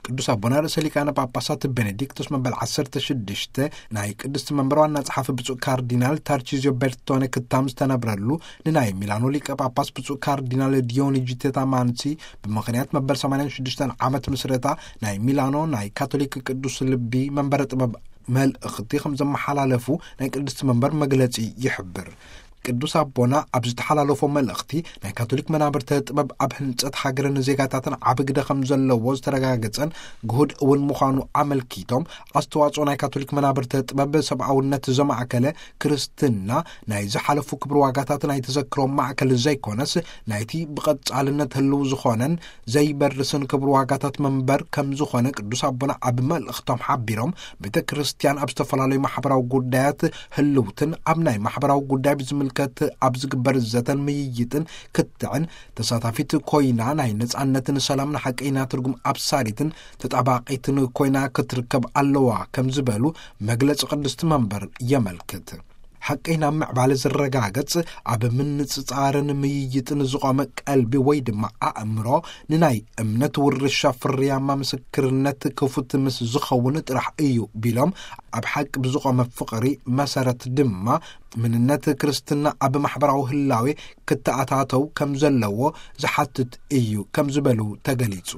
ቅዱስ ኣቦና ርእሰ ሊቃነ ጳጳሳት ቤኔዲክቶስ መበል ዓሰርተ ሽዱሽተ ናይ ቅድስቲ መንበር ዋና ጸሓፊ ብፁዕ ካርዲናል ታርቺዚዮ ቤርቶነ ክታም ዝተነብረሉ፣ ንናይ ሚላኖ ሊቀ ጳጳስ ብፁዕ ካርዲናል ዲዮኒጂ ቴታማንሲ ብምኽንያት መበል ሰማንያን ሽዱሽተን ዓመት ምስረታ ናይ ሚላኖ ናይ ካቶሊክ ቅዱስ ልቢ መንበረ ጥበብ መልእኽቲ ከም ዘመሓላለፉ ናይ ቅድስቲ መንበር መግለጺ ይሕብር። ቅዱስ ኣቦና ኣብ ዝተሓላለፎ መልእኽቲ፣ ናይ ካቶሊክ መናብርተ ጥበብ ኣብ ህንጸት ሃገርን ዜጋታትን ዓቢ ግደ ከም ዘለዎ ዝተረጋገጸን ግሁድ እውን ምዃኑ ኣመልኪቶም፣ ኣስተዋጽኦ ናይ ካቶሊክ መናብርተ ጥበብ ሰብኣውነት ዘማእከለ ክርስትና ናይ ዝሓለፉ ክብሪ ዋጋታት ናይ ተዘክሮ ማእከል ዘይኮነስ፣ ናይቲ ብቐጻልነት ህልው ዝኾነን ዘይበርስን ክብሪ ዋጋታት መንበር ከም ዝኾነ ቅዱስ ኣቦና ኣብ መልእኽቶም ሓቢሮም፣ ቤተ ክርስቲያን ኣብ ዝተፈላለዩ ማሕበራዊ ጉዳያት ህልውትን ኣብ ናይ ማሕበራዊ ጉዳይ ብዝምልከት ኣብ ዝግበር ዘተን ምይይጥን ክትዕን ተሳታፊት ኮይና፣ ናይ ነጻነትን ሰላምን ሓቀይና ትርጉም ኣብሳሪትን ተጣባቂትን ኮይና ክትርከብ ኣለዋ ከም ዝበሉ መግለጺ ቅድስቲ መንበር የመልክት። ሓቀይና ምዕባለ ዝረጋገጽ ኣብ ምንጽጻርን ምይይጥን ዝቖመ ቀልቢ ወይ ድማ ኣእምሮ፣ ንናይ እምነት ውርሻ ፍርያማ ምስክርነት ክፉት ምስ ዝኸውን ጥራሕ እዩ ቢሎም፣ ኣብ ሓቂ ብዝቖመ ፍቕሪ መሰረት ድማ ምንነት ክርስትና ኣብ ማሕበራዊ ህላዌ ክተኣታተው ከም ዘለዎ ዝሓትት እዩ ከም ዝበሉ ተገሊጹ።